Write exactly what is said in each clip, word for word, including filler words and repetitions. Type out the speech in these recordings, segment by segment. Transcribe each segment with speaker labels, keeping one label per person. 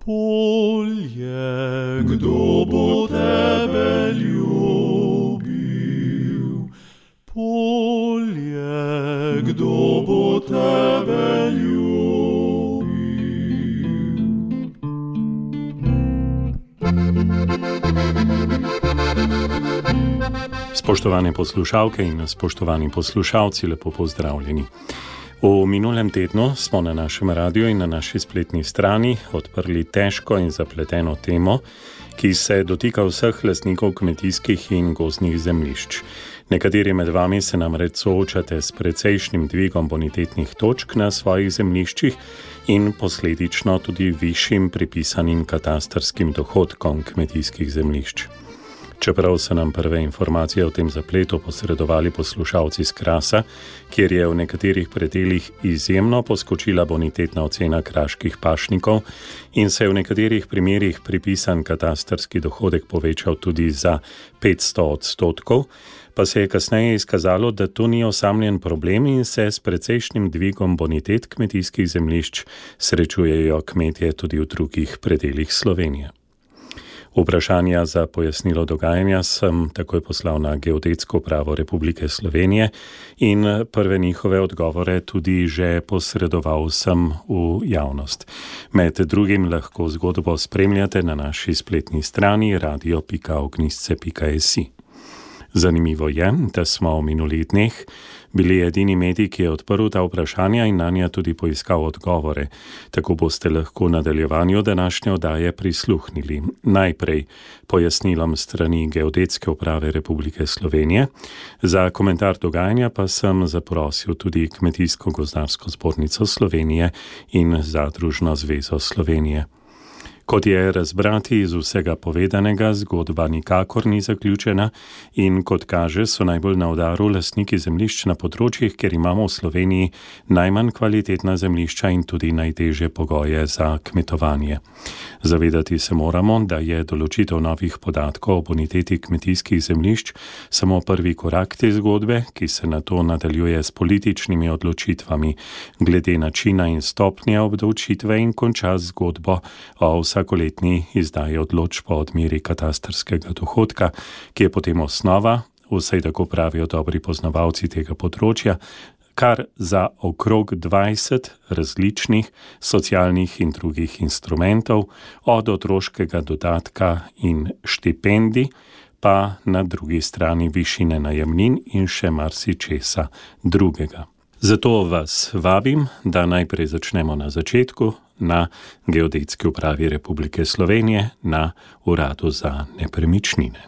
Speaker 1: Polje, kdo bo tebe ljubil? Polje, kdo bo tebe ljubil?
Speaker 2: Spoštovane poslušalke in spoštovani poslušalci, lepo pozdravljeni. V minulem tednu smo na našem radiju in na naši spletni strani odprli težko in zapleteno temo, ki se dotika vseh lastnikov kmetijskih in gozdnih zemljišč. Nekateri med vami se namreč soočate s precejšnjim dvigom bonitetnih točk na svojih zemljiščih in posledično tudi višjim pripisanim katastrskim dohodkom kmetijskih zemljišč. Čeprav so nam prve informacije o tem zapletu posredovali poslušalci z Krasa, kjer je v nekaterih predelih izjemno poskočila bonitetna ocena kraških pašnikov in se je v nekaterih primerih pripisan katastrski dohodek povečal tudi za petsto odstotkov, pa se je kasneje izkazalo, da to ni osamljen problem in se s precejšnjim dvigom bonitet kmetijskih zemljišč srečujejo kmetje tudi v drugih predelih Slovenije. Vprašanja za pojasnilo dogajanja sem takoj poslal na Geodetsko upravo Republike Slovenije in prve njihove odgovore tudi že posredoval sem v javnost. Med drugim lahko zgodbo spremljate na naši spletni strani radio pika ognjišče pika si. Zanimivo je, da smo v minulih dneh bili edini medij, ki je odprl ta vprašanja in nanja tudi poiskal odgovore. Tako boste lahko nadaljevanju današnje oddaje prisluhnili. Najprej pojasnilom strani Geodetske uprave Republike Slovenije. Za komentar dogajanja pa sem zaprosil tudi Kmetijsko-gozdarsko zbornico Slovenije in Zadružno zvezo Slovenije. Kot je razbrati iz vsega povedanega, zgodba nikakor ni zaključena in kot kaže, so najbolj na udaru lastniki zemljišč na področjih, kjer imamo v Sloveniji najmanj kvalitetna zemljišča in tudi najtežje pogoje za kmetovanje. Zavedati se moramo, da je določitev novih podatkov o boniteti kmetijskih zemljišč samo prvi korak te zgodbe, ki se nato nadaljuje s političnimi odločitvami glede načina in stopnje obdavčitve in konča zgodbo o vsakoletni izdaji odločb o odmeri katastrskega dohodka, ki je potem osnova, vsaj tako pravijo dobri poznavalci tega področja, kar za okrog dvajset različnih socialnih in drugih instrumentov, od otroškega dodatka in štipendij, pa na drugi strani višine najemnin in še marsičesa drugega. Zato vas vabim, da najprej začnemo na začetku, na Geodetski upravi Republike Slovenije, na Uradu za nepremičnine.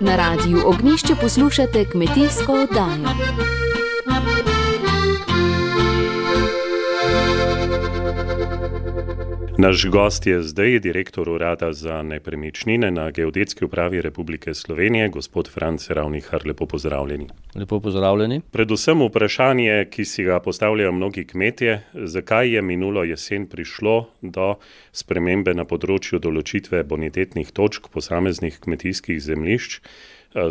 Speaker 3: Na radiju Ognjišče poslušate kmetijsko oddajo.
Speaker 2: Naš gost je zdaj direktor Urada za nepremičnine na Geodetski upravi Republike Slovenije, gospod Franc Ravnihar. Lepo pozdravljeni.
Speaker 4: Lepo pozdravljeni.
Speaker 2: Predvsem vprašanje, ki si ga postavljajo mnogi kmetje, zakaj je minulo jesen prišlo do spremembe na področju določitve bonitetnih točk posameznih kmetijskih zemljišč.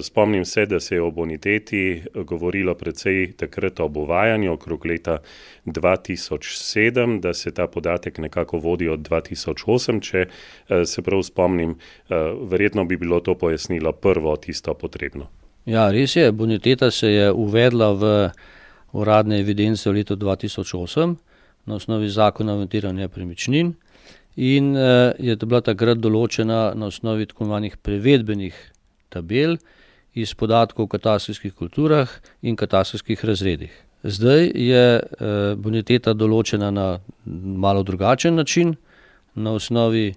Speaker 2: Spomnim se, da se je o boniteti govorilo precej takrat ob uvajanju okrog leta dva tisoč sedem, da se ta podatek nekako vodi od dva tisoč osem, če se prav spomnim, verjetno bi bilo to pojasnilo prvo tisto potrebno.
Speaker 4: Ja, res je, boniteta se je uvedla v uradne evidence v letu dva tisoč osem na osnovi zakona o evidentiranju nepremičnin in je bila takrat določena na osnovi tako imenovanih prevedbenih tabel iz podatkov o katastrskih kulturah in katastrskih razredih. Zdaj je boniteta določena na malo drugačen način, na osnovi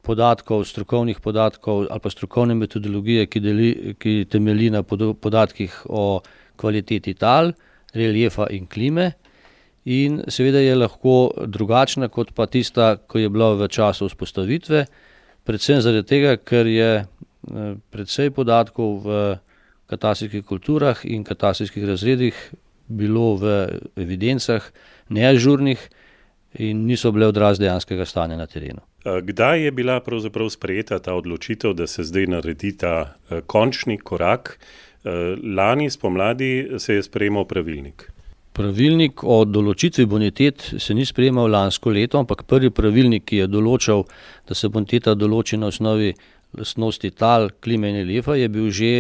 Speaker 4: podatkov, strokovnih podatkov ali pa strokovne metodologije, ki, deli, ki temelji na podatkih o kvaliteti tal, reliefa in klime in seveda je lahko drugačna kot pa tista, ko je bila v času vzpostavitve, predvsem zaradi tega, ker je precej podatkov v katastrskih kulturah in katastrskih razredih bilo v evidencah neažurnih in niso bile odraz dejanskega stanja na terenu.
Speaker 2: Kdaj je bila pravzaprav sprejeta ta odločitev, da se zdaj naredi ta končni korak Lani spomladi se je sprejemal pravilnik.
Speaker 4: Pravilnik o določitvi bonitet se ni sprejemal lansko leto, ampak prvi pravilnik, ki je določal, da se boniteta določi na osnovi lastnosti tal, klime in reliefa, je bil že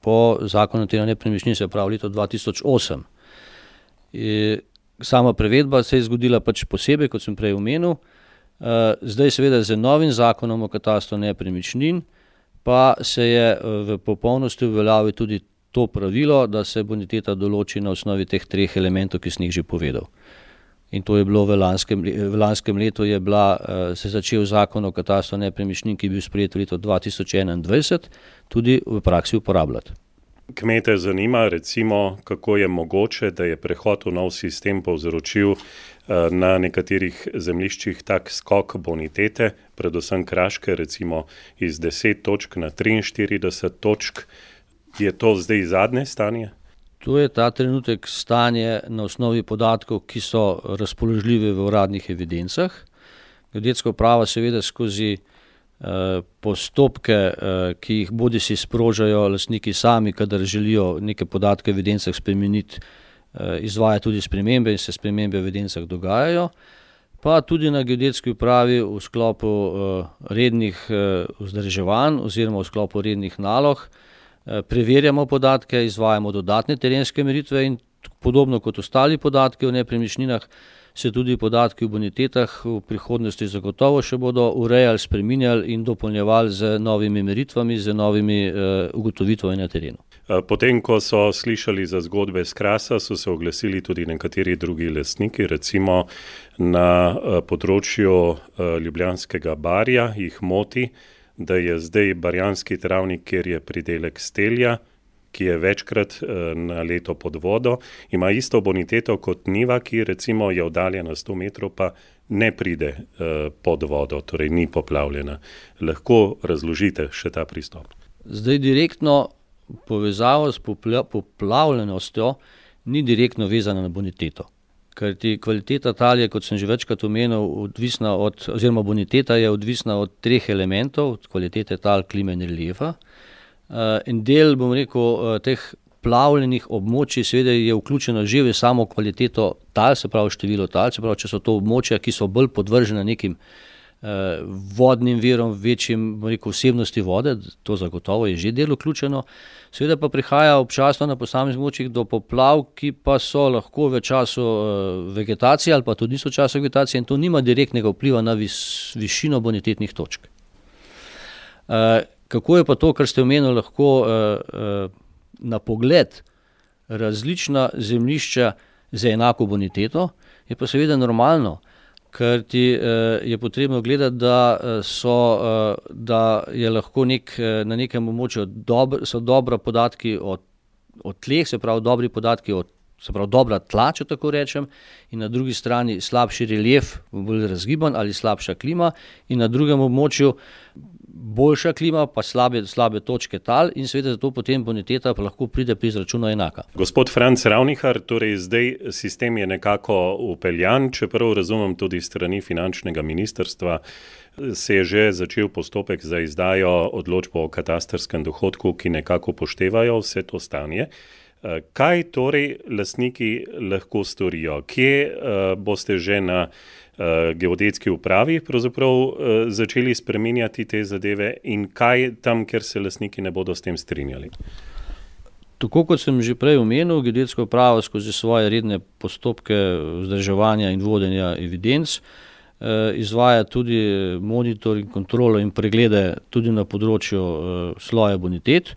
Speaker 4: po zakonu o notiranju nepremičnin, se pravi leto dva tisoč osem. Je, sama prevedba se je zgodila pač posebej, kot sem prej omenil. Zdaj seveda z novim zakonom o katastru nepremičnin pa se je v popolnosti uveljavil tudi to pravilo, da se boniteta določi na osnovi teh treh elementov, ki sem jih že povedal. In to je bilo v lanskem, v lanskem letu je bila, se začel zakon o katastru nepremičnin, ki je bil sprejet v letu dva tisoč enaindvajset, tudi v praksi uporabljati.
Speaker 2: Kmete zanima recimo, kako je mogoče, da je prehod v nov sistem povzročil na nekaterih zemljiščih tak skok bonitete, predvsem kraške, recimo iz deset točk na triinštirideset točk. Je to zdaj zadnje stanje?
Speaker 4: To je ta trenutek stanje na osnovi podatkov, ki so razpoložljive v uradnih evidencah. Geodetska uprava seveda skozi eh, postopke, eh, ki jih bodisi sprožajo lastniki sami, kadar želijo neke podatke v evidencah spremeniti, eh, izvaja tudi spremembe in se spremembe v evidencah dogajajo. Pa tudi na geodetski upravi v sklopu eh, rednih eh, vzdrževanj oziroma v sklopu rednih nalog preverjamo podatke, izvajamo dodatne terenske meritve in podobno kot ostali podatki o nepremičninah, se tudi podatki o bonitetah v prihodnosti zagotovo še bodo urejali, spreminjali in dopolnjevali z novimi meritvami, z novimi uh, ugotovitvami na terenu.
Speaker 2: Potem, ko so slišali za zgodbe s Krasa, so se oglasili tudi nekateri drugi lastniki, recimo na področju Ljubljanskega barja jih moti, da je zdaj barjanski travnik, kjer je pridelek stelja, ki je večkrat na leto pod vodo, ima isto boniteto kot njiva, ki recimo je oddaljena sto metrov, pa ne pride pod vodo, torej ni poplavljena. Lahko razložite še ta pristop?
Speaker 4: Zdaj direktno povezavo s poplavljenostjo ni direktno vezana na boniteto. Ker ti kvaliteta tal je, kot sem že večkrat omenil, odvisna od, oziroma boniteta je odvisna od treh elementov, od kvalitete tal, klime in reliefa. En del, bom rekel, teh plavljenih območij seveda je vključeno že v samo kvaliteto tal, se pravi število tal, se pravi, če so to območja, ki so bolj podvržena nekim vodnim virom, večjim, bom rekel, vsebnosti vode, to zagotovo je že del vključeno. Seveda pa prihaja občasno na posameznih območjih do poplav, ki pa so lahko v času vegetacije ali pa tudi niso v času vegetacije in to nima direktnega vpliva na vis, višino bonitetnih točk. Kako je pa to, kar ste omenili, lahko na pogled različna zemljišča z enako boniteto, je pa seveda normalno, ker ti je potrebno gledati, da, so, da je lahko nek, na nekem območju dober, so dobra podatki o, o tleh, se pravi dobri podatki o, se pravi dobra tla, če tako rečem, in na drugi strani slabši relief, bolj razgiban ali slabša klima, in na drugem območju boljša klima, pa slabe, slabe točke tal in seveda zato potem boniteta pa lahko pride pri izračunu enaka.
Speaker 2: Gospod Franc Ravnihar, torej zdaj sistem je nekako upeljan, čeprav razumem tudi strani finančnega ministrstva, se je že začel postopek za izdajo odločbo o katastrskem dohodku, ki nekako upoštevajo vse to stanje. Kaj torej lastniki lahko storijo? Kje uh, boste že na uh, geodetski upravi pravzaprav uh, začeli spreminjati te zadeve in kaj tam, kjer se lastniki ne bodo s tem strinjali?
Speaker 4: Tako kot sem že prej omenil, geodetska uprava skozi svoje redne postopke vzdrževanja in vodenja evidenc uh, izvaja tudi monitoring, kontrolo in preglede tudi na področju uh, sloja bonitet.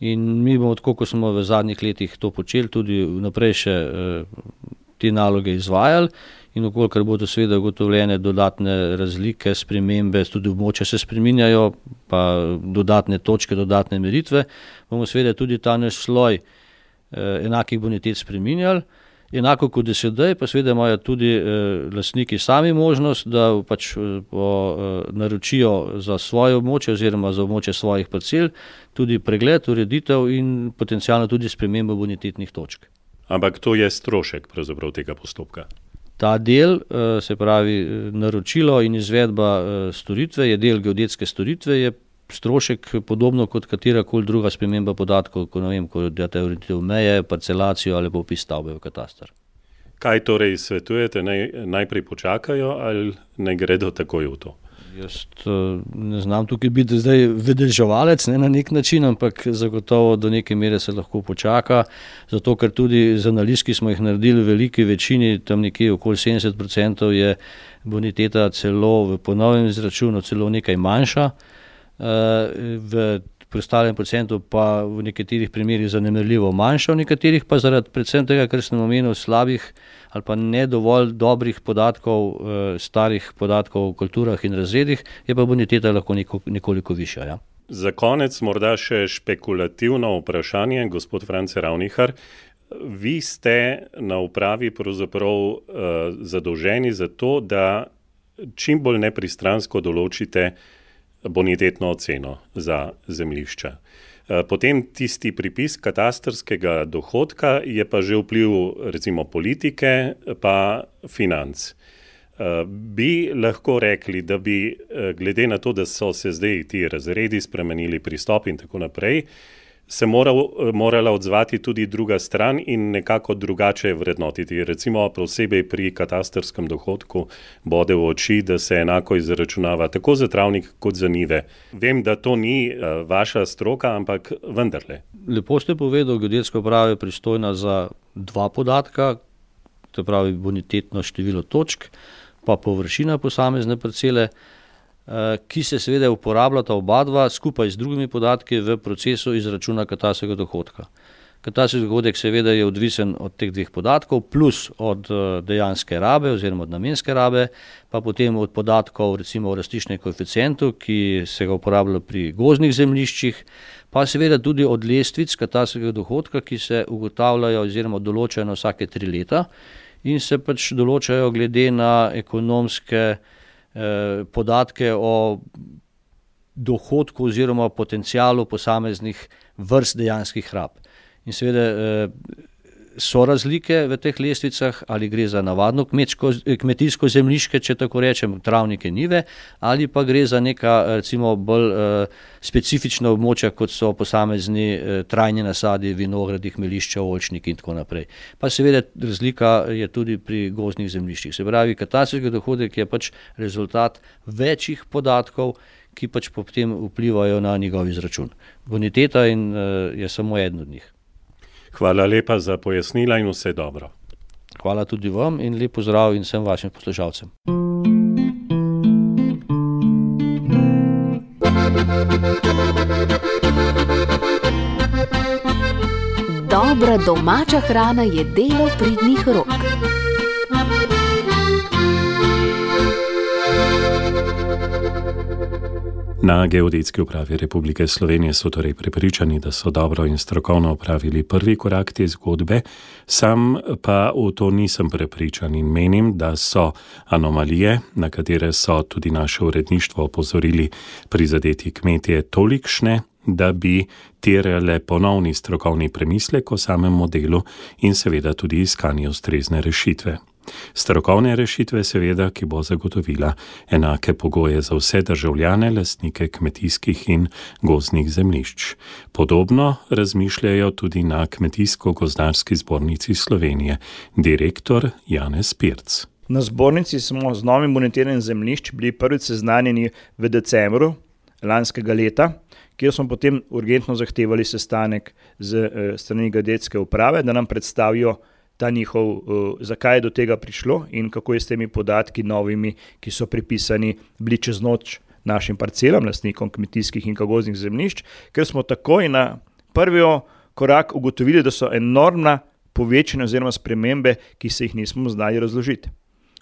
Speaker 4: In mi bomo, tako kot smo v zadnjih letih to počeli, tudi vnaprej še eh, te naloge izvajali in okolikor bodo seveda ugotovljene dodatne razlike, spremembe, tudi območja se spreminjajo, pa dodatne točke, dodatne meritve, bomo seveda tudi ta naš sloj eh, enakih bonitet spreminjali. Enako kot sedaj, pa seveda imajo tudi eh, lastniki sami možnost, da pač eh, po, eh, naročijo za svoje območje oziroma za območje svojih parcel tudi pregled, ureditev in potencialno tudi spremembo bonitetnih točk.
Speaker 2: Ampak to je strošek pravzaprav tega postopka?
Speaker 4: Ta del, eh, se pravi naročilo in izvedba eh, storitve, je del geodetske storitve, je strošek podobno kot katerakoli druga sprememba podatkov, ko ne vem, ko date ureditev meje, parcelacijo ali pa vpis stavbe v katastar.
Speaker 2: Kaj torej svetujete, naj, najprej počakajo ali naj gredo takoj v to?
Speaker 4: Jaz ne znam tukaj biti zdaj vedeževalec, ne na nek način, ampak zagotovo do neke mere se lahko počaka, zato ker tudi z analiz, ki smo jih naredili v veliki večini, tam nekje okoli sedemdeset procentov je boniteta celo v ponovnem izračunu celo nekaj manjša, v preostalem procentu pa v nekaterih primerih zanemarljivo manjša, v nekaterih pa zaradi predvsem tega, ker sem omenil slabih ali pa ne dovolj dobrih podatkov, starih podatkov o kulturah in razredih, je pa boniteta lahko neko, nekoliko višja. Ja.
Speaker 2: Za konec morda še špekulativno vprašanje, gospod France Ravnihar. Vi ste na upravi pravzaprav uh, zadolženi za to, da čim bolj nepristransko določite bonitetno oceno za zemljišča. Potem tisti pripis katastrskega dohodka je pa že vpliv recimo politike pa financ. Bi lahko rekli, da bi glede na to, da so se zdaj ti razredi spremenili, pristop in tako naprej, se moral, morala odzvati tudi druga stran in nekako drugače vrednotiti. Recimo posebej pri katastrskem dohodku bode v oči, da se enako izračunava tako za travnik kot za njive. Vem, da to ni uh, vaša stroka, ampak vendarle.
Speaker 4: Lepo ste povedal, geodetska uprava je pristojna za dva podatka, to pravi bonitetno število točk, pa površina posamezne parcele, ki se seveda uporabljata oba dva skupaj z drugimi podatki v procesu izračuna katastrskega dohodka. Katastrski dohodek seveda je odvisen od teh dveh podatkov, plus od dejanske rabe oziroma od namenske rabe, pa potem od podatkov recimo o rastiščnem koeficientu, ki se ga uporablja pri gozdnih zemljiščih, pa seveda tudi od lestvic katastrskega dohodka, ki se ugotavljajo oziroma določajo na vsake tri leta in se pač določajo glede na ekonomske podatke o dohodku oziroma potencialu posameznih vrst dejanskih rab. In seveda so razlike v teh lestvicah, ali gre za navadno kmetsko, kmetijsko zemljišče, če tako rečem, travnike, njive, ali pa gre za neka recimo bolj uh, specifična območja, kot so posamezni uh, trajni nasadi, vinogradi, hmelišča, oljčniki in tako naprej. Pa seveda razlika je tudi pri gozdnih zemljiščih. Se pravi, katastrski dohodek je pač rezultat večjih podatkov, ki pač potem vplivajo na njegov izračun. Boniteta in, uh, je samo eden od njih.
Speaker 2: Hvala lepa za pojasnila in vse dobro.
Speaker 4: Hvala tudi vam in lep pozdrav in vsem vašim poslušalcem.
Speaker 3: Dobra domača hrana je delo pridnih rok.
Speaker 2: Na Geodetski upravi Republike Slovenije so torej prepričani, da so dobro in strokovno opravili prvi korak te zgodbe, sam pa v to nisem prepričan in menim, da so anomalije, na katere so tudi naše uredništvo opozorili prizadeti kmetje, tolikšne, da bi terjale ponovni strokovni premislek o samem modelu in seveda tudi iskanje ustrezne rešitve. Strokovne rešitve seveda, ki bo zagotovila enake pogoje za vse državljane, lastnike kmetijskih in gozdnih zemljišč. Podobno razmišljajo tudi na Kmetijsko-gozdarski zbornici Slovenije, direktor Janez Pirc.
Speaker 5: Na zbornici smo z novim bonitiranim zemljišč bili prvič seznanjeni v decembru lanskega leta, kjer smo potem urgentno zahtevali sestanek z strani geodetske uprave, da nam predstavijo ta njihov, uh, zakaj je do tega prišlo in kako je s temi podatki novimi, ki so pripisani bili čez noč našim parcelam, lastnikom kmetijskih in gozdnih zemljišč, ker smo takoj na prvi korak ugotovili, da so enormna povečanja oziroma spremembe, ki se jih nismo znali razložiti.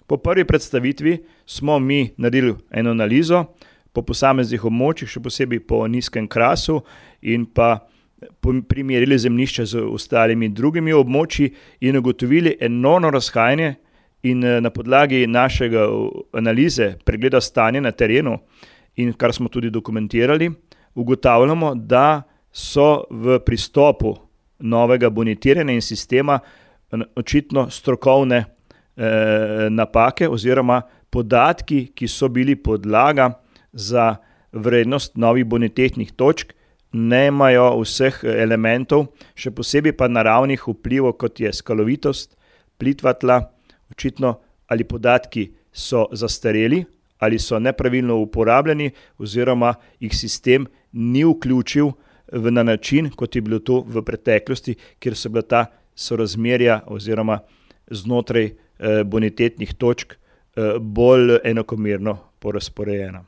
Speaker 5: Po prvi predstavitvi smo mi naredili eno analizo po posameznih območjih, še posebej po nizkem krasu in pa primerjali zemljišča z ostalimi drugimi območji in ugotovili enormno razhajanje in na podlagi našega analize, pregleda stanja na terenu in kar smo tudi dokumentirali, ugotavljamo, da so v pristopu novega bonitiranja in sistema očitno strokovne eh, napake oziroma podatki, ki so bili podlaga za vrednost novih bonitetnih točk, nemajo vseh elementov, še posebej pa naravnih vplivov, kot je skalovitost, plitva tla, očitno ali podatki so zastareli, ali so nepravilno uporabljeni, oziroma jih sistem ni vključil v na način, kot je bilo to v preteklosti, kjer so bila ta sorazmerja oziroma znotraj eh, bonitetnih točk eh, bolj enakomerno porazporejena.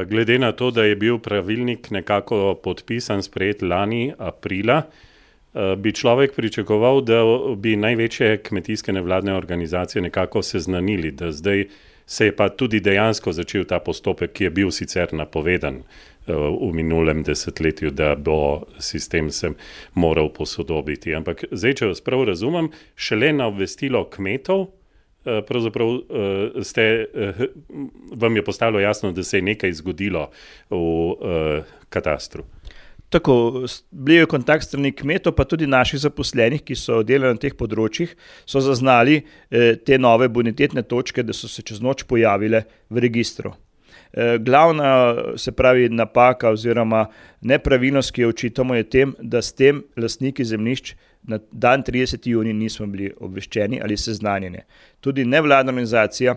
Speaker 2: Glede na to, da je bil pravilnik nekako podpisan, sprejet lani aprila, bi človek pričakoval, da bi največje kmetijske nevladne organizacije nekako seznanili, da zdaj se je pa tudi dejansko začel ta postopek, ki je bil sicer napovedan v minulem desetletju, da bo sistem se moral posodobiti. Ampak zdaj, če vas prav razumem, šele na obvestilo kmetov, pravzaprav ste, vam je postalo jasno, da se je nekaj zgodilo v katastru.
Speaker 5: Tako, bili je kontakt strani kmetov, pa tudi naših zaposlenih, ki so delali na teh področjih, so zaznali te nove bonitetne točke, da so se čez noč pojavile v registru. Glavna, se pravi, napaka oziroma nepravilnost, ki jo očitamo, je tem, da s tem lastniki zemljišč na dan trideseti junij nismo bili obveščeni ali seznanjeni. Tudi nevladna organizacija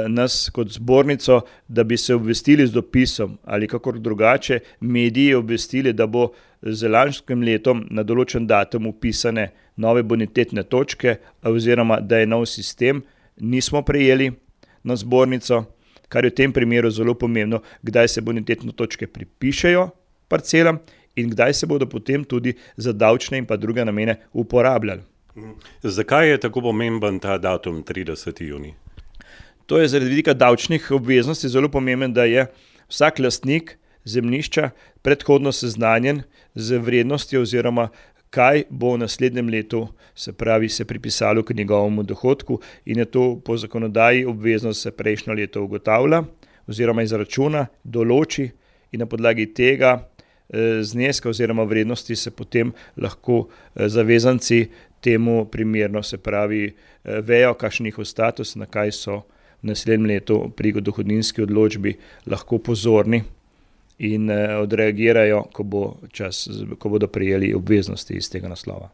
Speaker 5: nas kot zbornico, da bi se obvestili z dopisom ali kakor drugače, mediji obvestili, da bo z lanskim letom na določen datum upisane nove bonitetne točke oziroma da je nov sistem, nismo prejeli na zbornico, kar je v tem primeru zelo pomembno, kdaj se bonitetne točke pripišejo parcelam in kdaj se bodo potem tudi za davčne in pa druge namene uporabljali.
Speaker 2: Zakaj je tako pomemben ta datum trideseti junij?
Speaker 5: To je zaradi vidika davčnih obveznosti zelo pomemben, da je vsak lastnik zemljišča predhodno seznanjen z vrednostjo oziroma kaj bo v naslednjem letu, se pravi, se pripisalo k njegovemu dohodku in je to po zakonodaji obveznost se prejšnjo leto ugotavlja oziroma izračuna, določi in na podlagi tega zneska oziroma vrednosti se potem lahko zavezanci temu primerno, se pravi, vejo, kakšen njihov status, na kaj so v naslednjem letu pri dohodninski odločbi lahko pozorni in odreagirajo, ko bo čas, ko bodo prejeli obveznosti iz tega naslova.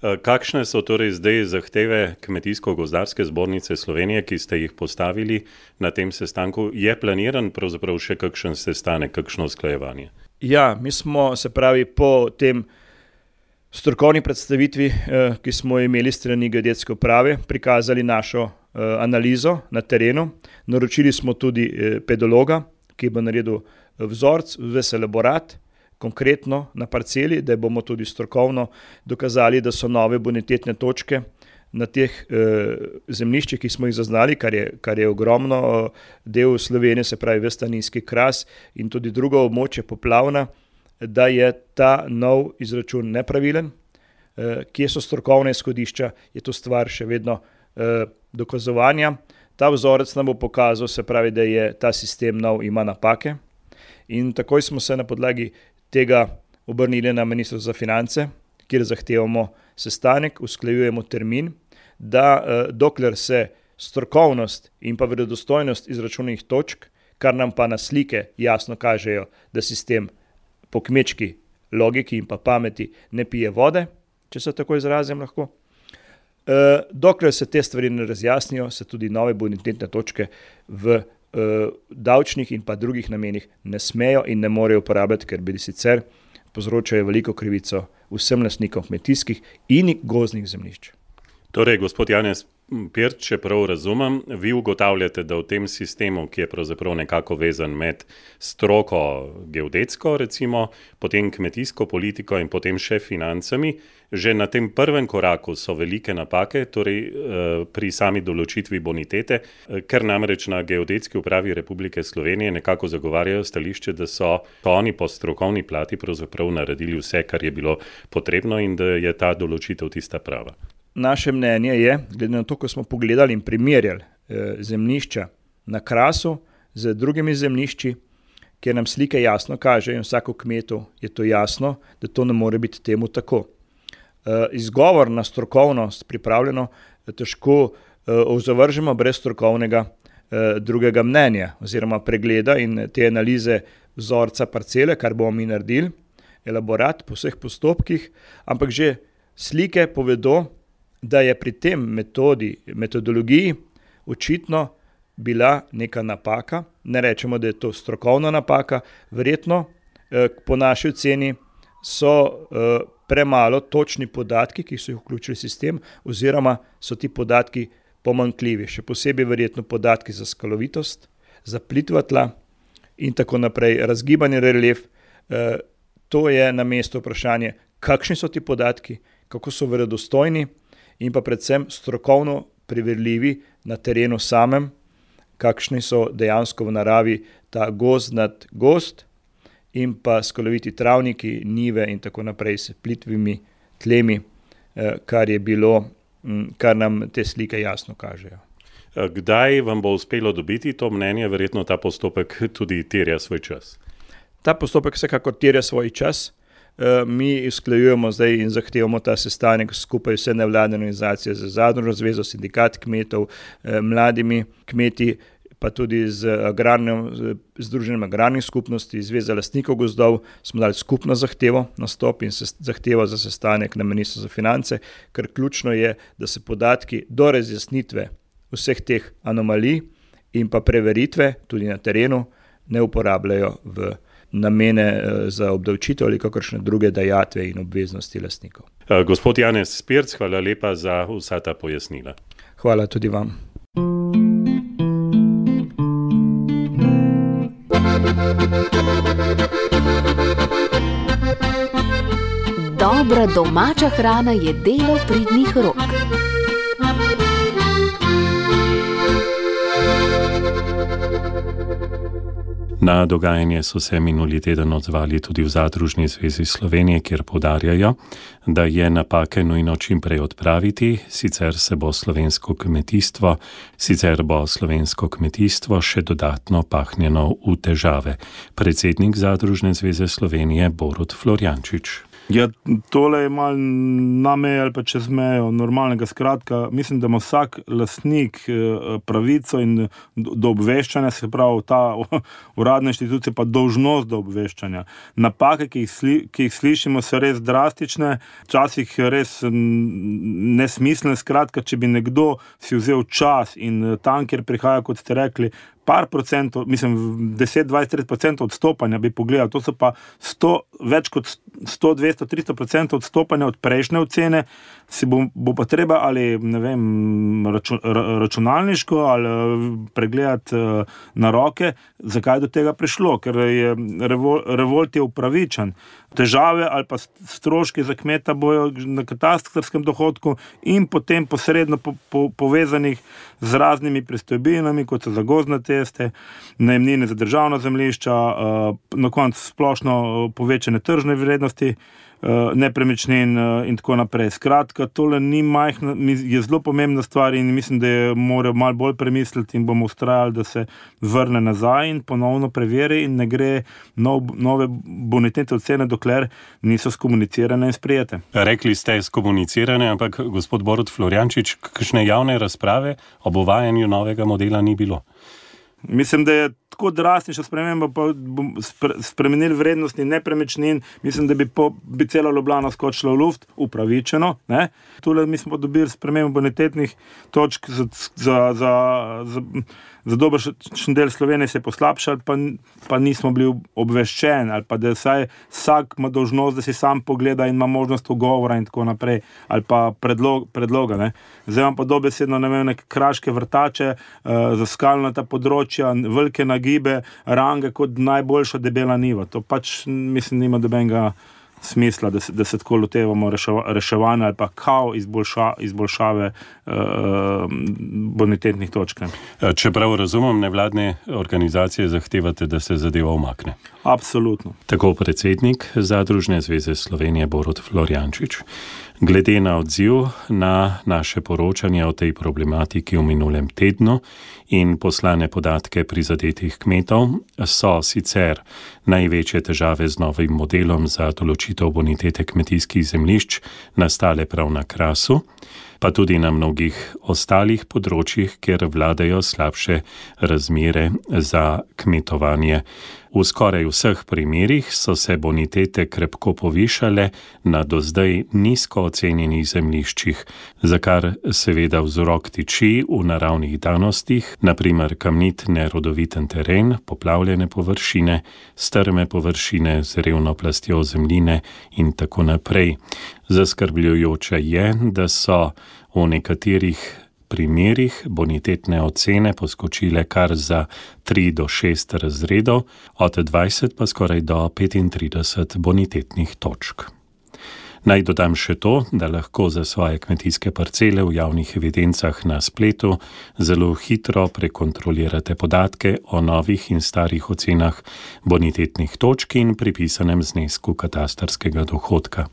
Speaker 2: Kakšne so torej zdaj zahteve Kmetijsko-gozdarske zbornice Slovenije, ki ste jih postavili na tem sestanku? Je planiran pravzaprav še kakšen sestanek, kakšno usklajevanje?
Speaker 5: Ja, mi smo, se pravi, po tem strokovni predstavitvi, ki smo imeli strani Geodetske uprave, prikazali našo analizo na terenu. Naročili smo tudi pedologa, ki bo naredil vzorc, ves elaborat, konkretno na parceli, da bomo tudi strokovno dokazali, da so nove bonitetne točke na teh zemljiščih, ki smo jih zaznali, kar je, kar je ogromno del Slovenije, se pravi ves ta nizki kras in tudi drugo območje poplavna, da je ta nov izračun nepravilen. Kje so strokovne izhodišča, je to stvar še vedno dokazovanja. Ta vzorec nam bo pokazal, se pravi, da je ta sistem nov, ima napake in takoj smo se na podlagi tega obrnili na Ministrstvo za finance, kjer zahtevamo sestanek, usklajujemo termin, da dokler se strokovnost in pa verodostojnost izračunanih točk, kar nam pa na slike jasno kažejo, da sistem po kmečki logiki in pa pameti ne pije vode, če se tako izrazim lahko. E, dokler se te stvari ne razjasnijo, se tudi nove bonitetne točke v e, davčnih in pa drugih namenih ne smejo in ne morejo uporabljati, ker bi sicer povzročajo veliko krivico vsem lastnikom kmetijskih in gozdnih zemljišč.
Speaker 2: Torej, gospod Janez Pirc, če prav razumem, vi ugotavljate, da v tem sistemu, ki je pravzaprav nekako vezan med stroko geodetsko, recimo, potem kmetijsko politiko in potem še financami, že na tem prvem koraku so velike napake, torej pri sami določitvi bonitete, ker namreč na Geodetski upravi Republike Slovenije nekako zagovarjajo stališče, da so oni po strokovni plati pravzaprav naredili vse, kar je bilo potrebno in da je ta določitev tista prava.
Speaker 5: Naše mnenje je, glede na to, ko smo pogledali in primerjali eh, zemljišča na Krasu z drugimi zemljišči, kjer nam slike jasno kažejo in vsako kmetu je to jasno, da to ne more biti temu tako. Eh, izgovor na strokovnost pripravljeno težko eh, zavržemo brez strokovnega drugega mnenja oziroma pregleda in te analize vzorca parcele, kar bomo mi naredili, elaborat po vseh postopkih, ampak že slike povedo, da je pri tem metodi, metodologiji očitno bila neka napaka. Ne rečemo, da je to strokovna napaka, verjetno po naši oceni so premalo točni podatki, ki so jih vključili v sistem, oziroma so ti podatki pomanjkljivi. Še posebej verjetno podatki za skalovitost, za plitva tla in tako naprej, razgibanje relief. To je na mestu vprašanje, kakšni so ti podatki, kako so verodostojni in pa predvsem strokovno preverljivi na terenu samem, kakšni so dejansko v naravi ta gozd nad gozd in pa skaloviti travniki, njive in tako naprej s plitvimi tlemi, kar je bilo, kar nam te slike jasno kažejo.
Speaker 2: Kdaj vam bo uspelo dobiti to mnenje? Verjetno ta postopek tudi terja svoj čas.
Speaker 5: Ta postopek vsekakor terja svoj čas. Mi usklajujemo zdaj in zahtevamo ta sestanek skupaj vse nevladne organizacije z Zadružno zvezo, sindikat kmetov, mladimi kmeti, pa tudi z agrarnim, združenjem agrarnih skupnosti, Zveza lastnikov gozdov, smo dali skupno zahtevo na stop in se zahtevo za sestanek na Ministrstvu za finance, ker ključno je, da se podatki do razjasnitve vseh teh anomalij in pa preveritve tudi na terenu ne uporabljajo v namene za obdavčitev ali kakršne druge dajatve in obveznosti lastnikov.
Speaker 2: Gospod Janez Spirc, hvala lepa za vsa ta pojasnila.
Speaker 5: Hvala tudi vam.
Speaker 3: Dobra domača hrana je delo pridnih rok.
Speaker 2: Na dogajanje so se minuli teden odzvali tudi v Zadružni zvezi Slovenije, kjer poudarjajo, da je napake nujno čim prej odpraviti, sicer se bo slovensko kmetijstvo, sicer bo slovensko kmetijstvo še dodatno pahnjeno v težave. Predsednik Zadružne zveze Slovenije Borut Florjančič.
Speaker 6: Ja, tole je malo na meji ali pa čez mejo normalnega. Skratka, mislim, da ima vsak lastnik pravico in do obveščanja, se pravi ta uradna inštitucija pa dolžnost do obveščanja. Napake, ki jih, sli, ki jih slišimo, so res drastične, včasih res nesmiselne. Skratka, če bi nekdo si vzel čas in tam, kjer prihaja, kot ste rekli, par procentov, mislim, deset, dvajset, trideset procentov odstopanja bi pogledal, to so pa sto, več kot sto, dvesto, tristo procentov odstopanja od prejšnje ocene, si bo, bo pa treba ali, ne vem, račun, računalniško ali pregledati na roke, zakaj do tega prišlo, ker je revol, revolt je upravičen. Težave ali pa stroški za kmeta bojo na katastrskem dohodku in potem posredno po, po, povezanih z raznimi pristojbinami, kot so za gozdne ceste, najemnine za državna zemljišča, na koncu splošno povečane tržne vrednosti nepremičnin in tako naprej. Skratka, tole ni majhna, je zelo pomembna stvar in mislim, da je morajo malo bolj premisliti in bomo ustrajali, da se vrne nazaj in ponovno preveri in ne gre nov, nove bonitetne ocene, dokler niso skomunicirane in sprijete.
Speaker 2: Rekli ste skomunicirane, ampak gospod Borut Florjančič, kakšne javne razprave ob uvajanju novega modela ni bilo?
Speaker 6: Mislim, da je tako drastična sprememba, pa bomo spremenili vrednosti nepremičnin, mislim, da bi, po, bi cela Ljubljana skočila v luft, upravičeno. Ne? Tule mi smo dobili spremembo bonitetnih točk za, za, za, za, za dobršen del Slovenije se je poslabšal, pa, pa nismo bili obveščeni, ali pa da saj vsak ima dolžnost, da si sam pogleda in ima možnost ugovora in tako naprej, ali pa predlog, predloga. Ne? Zdaj imam pa dobesedno, ne vem, neke kraške vrtače, uh, za skalnata področja, velike nagibe, range kot najboljša debela niva. To pač, mislim, nima dobenega smisla, da se, da se tako lotevamo reševa, reševanja ali pa kao izboljša, izboljšave uh, bonitetnih točk.
Speaker 2: Čeprav razumem, nevladne organizacije zahtevate, da se zadeva umakne.
Speaker 6: Absolutno.
Speaker 2: Tako predsednik Zadružne zveze Slovenije Borut Florjančič. Glede na odziv na naše poročanje o tej problematiki v minulem tednu in poslane podatke prizadetih kmetov, so sicer največje težave z novim modelom za določitev bonitete kmetijskih zemljišč nastale prav na Krasu. pa tudi na mnogih ostalih področjih, kjer vladajo slabše razmere za kmetovanje. V skoraj vseh primerih so se bonitete krepko povišale na do zdaj nizko ocenjenih zemljiščih, za kar seveda vzrok tiči v naravnih danostih, na primer kamnit nerodoviten teren, poplavljene površine, strme površine z revno plastjo zemljine in tako naprej. Zaskrbljujoče je, da so v nekaterih primerih bonitetne ocene poskočile kar za tri do šest razredov, od dvajset pa skoraj do petintrideset bonitetnih točk. Naj dodam še to, da lahko za svoje kmetijske parcele v javnih evidencah na spletu zelo hitro prekontrolirate podatke o novih in starih ocenah bonitetnih točk in pripisanem znesku katastrskega dohodka.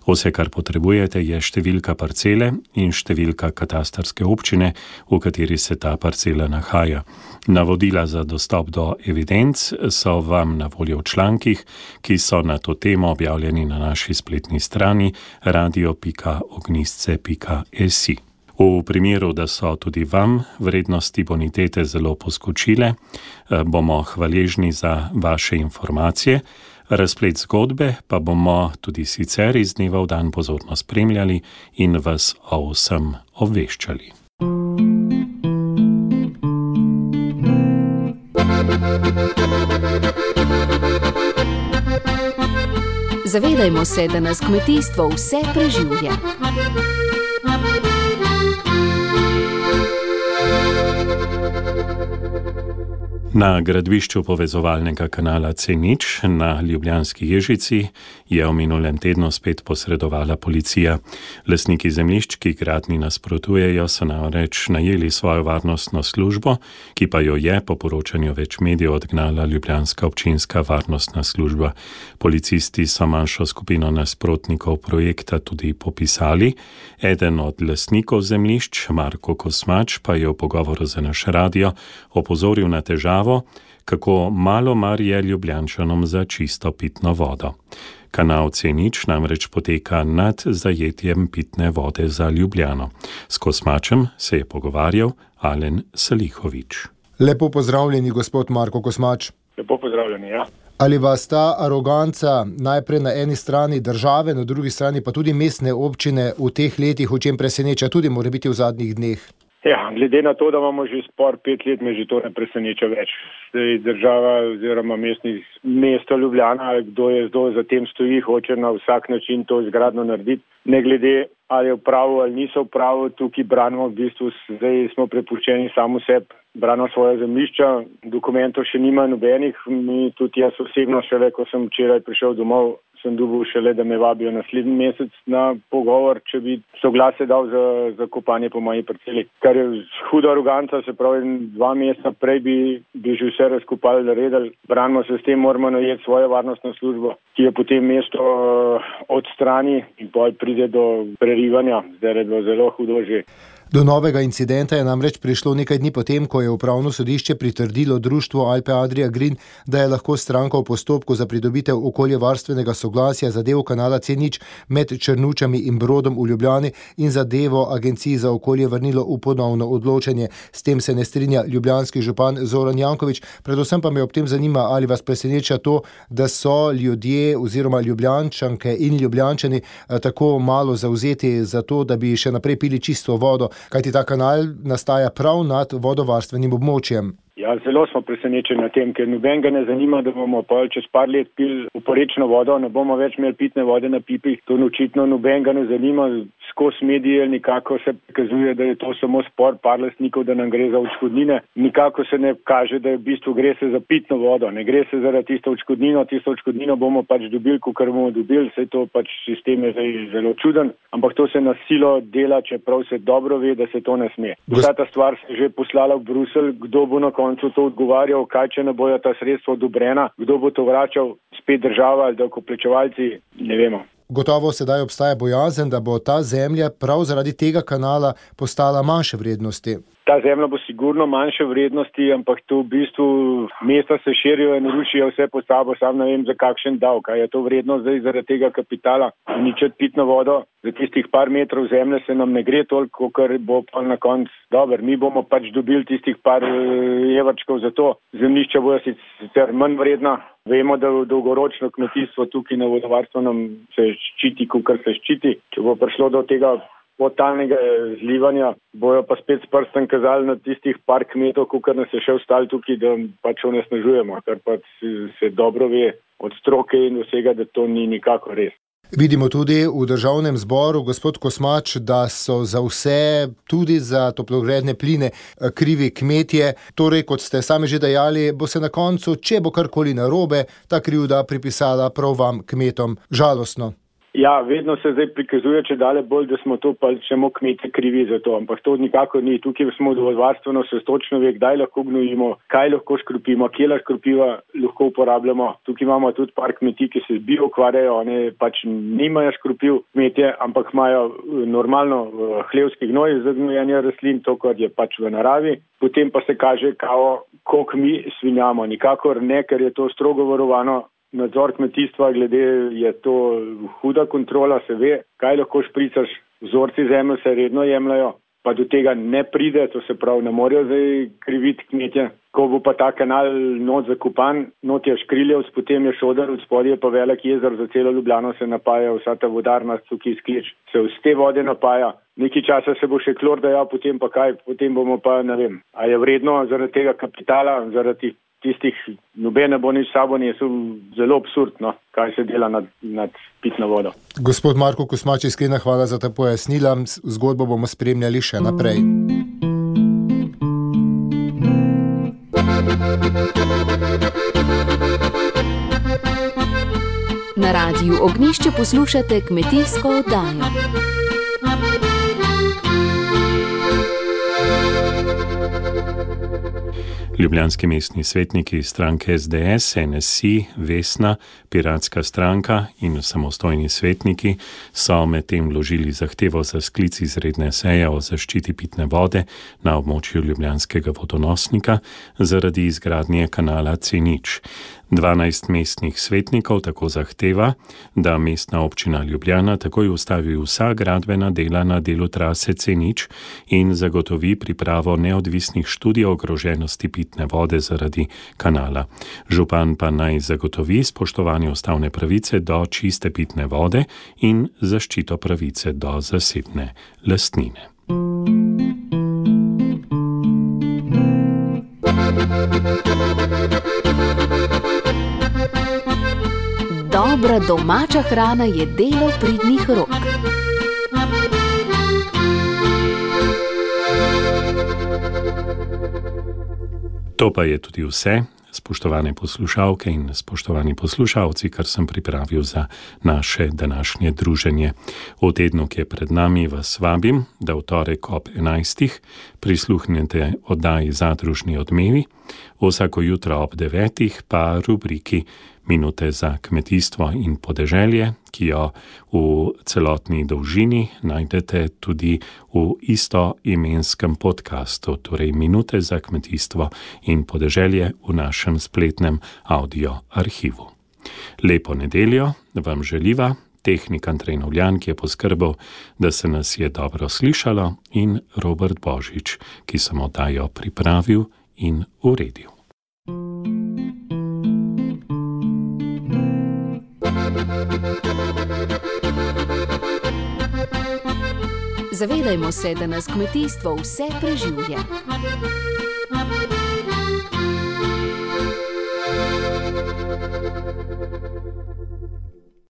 Speaker 2: Vse, kar potrebujete, je številka parcele in številka katastrske občine, v kateri se ta parcela nahaja. Navodila za dostop do evidenc so vam na voljo v člankih, ki so na to temo objavljeni na naši spletni strani radio pika ognjisce pika es i. V primeru, da so tudi vam vrednosti bonitete zelo poskočile, bomo hvaležni za vaše informacije. Razplet zgodbe pa bomo tudi sicer iz dneva v dan pozorno spremljali in vas o vsem obveščali.
Speaker 3: Zavedajmo se, da nas kmetijstvo vse preživlja.
Speaker 2: Na gradbišču povezovalnega kanala C nič na Ljubljanski Ježici je v minulem tednu spet posredovala policija. Lastniki zemljišč, ki gradnji nasprotujejo, so namreč najeli svojo varnostno službo, ki pa jo je po poročanju več medijev odgnala ljubljanska občinska varnostna služba. Policisti so manjšo skupino nasprotnikov projekta tudi popisali. Eden od lastnikov zemljišč, Marko Kosmač, pa je v pogovoru za naš radio opozoril na težavo, kako malo mar je Ljubljančanom za čisto pitno vodo. Kanal C nič namreč poteka nad zajetjem pitne vode za Ljubljano. S Kosmačem se je pogovarjal Alen Salihovič.
Speaker 7: Lepo pozdravljeni, gospod Marko Kosmač.
Speaker 8: Lepo pozdravljeni, ja.
Speaker 7: Ali vas ta aroganca najprej na eni strani države, na drugi strani pa tudi mestne občine v teh letih, o čem preseneča tudi mora biti v zadnjih dneh?
Speaker 8: Ja, glede na to, da imamo že spor pet let, me že to ne preseneča več. Zdaj država oziroma mestni, mesto Ljubljana, kdo je kdo za tem stoji, hoče na vsak način to izgradno narediti. Ne glede, ali je v pravu ali niso v pravu, tukaj branimo v bistvu, zdaj smo prepuščeni samo sebi, branimo svoje zemljišča, dokumentov še nima nobenih, mi tudi jaz osebno šele, ko sem včeraj prišel domov, sem dobil šele, da me vabijo naslednji mesec na pogovor, če bi soglasje dal za, za kopanje po moji parceli. Kar je huda aroganca, se pravi, dva meseca prej bi, bi že vse razkopali, naredili. Branimo se s tem, moramo najeti svojo varnostno službo, ki je potem mesto odstrani in pol pride do prerivanja. Zdaj je bilo zelo hudo že.
Speaker 7: Do novega incidenta je namreč prišlo nekaj dni potem, ko je upravno sodišče pritrdilo društvu Alpe Adria Green, da je lahko stranka v postopku za pridobitev okoljevarstvenega soglasja zadevo kanala C nič med Črnučami in Brodom v Ljubljani in zadevo Agenciji za okolje vrnilo v ponovno odločanje. S tem se ne strinja ljubljanski župan Zoran Janković. Predvsem pa me ob tem zanima, ali vas preseneča to, da so ljudje oziroma Ljubljančanke in Ljubljančani tako malo zavzeti za to, da bi še naprej pili čisto vodo, kajti ta kanal nastaja prav nad vodovarstvenim območjem.
Speaker 8: Ja, zelo smo presenečeni na tem, ker nobenega ne zanima, da bomo pa čez par let pili oporečno vodo, ne bomo več imeli pitne vode na pipi. To očitno nobenega ne zanima. Skozi medije nikako se prikazuje, da je to samo spor par lastnikov, da nam gre za odškodnine. Nikako se ne kaže, da je v bistvu gre se za pitno vodo. Ne gre se za tisto odškodnino. Tisto odškodnino bomo pač dobili, kakor bomo dobili. Saj to pač sistem je zdaj zelo čuden. Ampak to se na silo dela, čeprav se dobro ve, da se to ne sme. Vsa ta stvar se že poslala v Bruselj. Kdo bo na koncu to odgovarjal, kaj če ne bojo ta sredstva odobrena, kdo bo to vračal, spet država ali davkoplačevalci, ne vemo.
Speaker 7: Gotovo sedaj obstaja bojazen, da bo ta zemlja prav zaradi tega kanala postala manjše vrednosti.
Speaker 8: ta zemlja bo sigurno manjše vrednosti, ampak to v bistvu mesta se širijo in rušijo vse po sabo, sam ne vem za kakšen davek. Je to vredno zdaj zaradi tega kapitala uničiti pitno vodo? Za tistih par metrov zemlje se nam ne gre toliko, ker bo pa na koncu dober. Mi bomo pač dobili tistih par evrčkov za to. Zemljišča bojo sicer manj vredna. Vemo, da dolgoročno kmetijstvo tukaj na vodovarstvenem se ščiti, kakor se ščiti. Če bo prišlo do tega totalnega zlivanja, bojo pa spet s prstem kazali na tistih par kmetov, kakor nas je še ostali tukaj, da pač onesnažujemo, kar pa se dobro ve od stroke in vsega, da to ni nikako res.
Speaker 7: Vidimo tudi v državnem zboru, gospod Kosmač, da so za vse, tudi za toplogredne pline, krivi kmetje. Torej, kot ste sami že dejali, bo se na koncu, če bo karkoli narobe, ta krivda pripisala prav vam, kmetom. Žalostno.
Speaker 8: Ja, vedno se zdaj prikazuje, če dale bolj, da smo to pa samo kmete krivi za to, ampak to nikako ni. Tukaj smo vodovarstveno, se točno ve, kdaj lahko gnojimo, kaj lahko škropimo, kje lahko škropiva lahko uporabljamo. Tukaj imamo tudi par kmetij, ki se bio ukvarjajo, one pač nimajo škropiv kmetje, ampak imajo normalno hlevski gnoj za gnojenje rastlin, to, kar je pač v naravi. Potem pa se kaže, kao, koliko mi svinjamo. Nikakor ne, ker je to strogo varovano. Nadzor kmetijstva, glede je to huda kontrola, se ve, kaj lahko špricaš, vzorci zemlje se redno jemljajo, pa do tega ne pride, to se pravi, ne morejo zdaj kriviti kmetje. Ko bo pa ta kanal not zakopan, not je Škriljevc, potem je Šodar, od spodaj je pa velik jezer, za celo Ljubljano se napaja, vsa ta vodarna tukaj sklič, se z te vode napaja. Nekaj časa se bo še klor dajal, potem pa kaj, potem bomo pa, ne vem, a je vredno zaradi tega kapitala, zaradi tistih nobene bo nič sabo nesel, zelo absurdno, kaj se dela nad, nad pitno vodo.
Speaker 7: Gospod Marko Kosmač, iskrena hvala za ta pojasnila. Zgodbo bomo spremljali še naprej.
Speaker 3: Na Radiu Ognjišče poslušate kmetijsko oddajo.
Speaker 2: Ljubljanski mestni svetniki stranke S D S, N S I, Vesna, Piratska stranka in samostojni svetniki so medtem vložili zahtevo za sklic izredne seje o zaščiti pitne vode na območju ljubljanskega vodonosnika zaradi izgradnje kanala C nič. dvanajst mestnih svetnikov tako zahteva, da mestna občina Ljubljana takoj ustavi vsa gradbena dela na delu trase C nič in zagotovi pripravo neodvisnih študij o ogroženosti pitne vode zaradi kanala. Župan pa naj zagotovi spoštovanje ustavne pravice do čiste pitne vode in zaščito pravice do zasebne lastnine.
Speaker 3: Dobra domača hrana je delo pridnih rok.
Speaker 2: To pa je tudi vse, spoštovane poslušalke in spoštovani poslušalci, kar sem pripravil za naše današnje druženje. V tednu, ki je pred nami, vas vabim, da v torek ob enajstih prisluhnete oddaji Zadružni odmevi, vsako jutro ob devetih pa rubriki Minute za kmetijstvo in podeželje, ki jo v celotni dolžini najdete tudi v istoimenskem podcastu, torej Minute za kmetijstvo in podeželje v našem spletnem audio arhivu. Lepo nedeljo vam želiva tehnik Andrej Novljan, ki je poskrbel, da se nas je dobro slišalo, in Robert Božič, ki sem oddajo pripravil in uredil.
Speaker 3: Zavedajmo se, da nas kmetijstvo vse preživlja.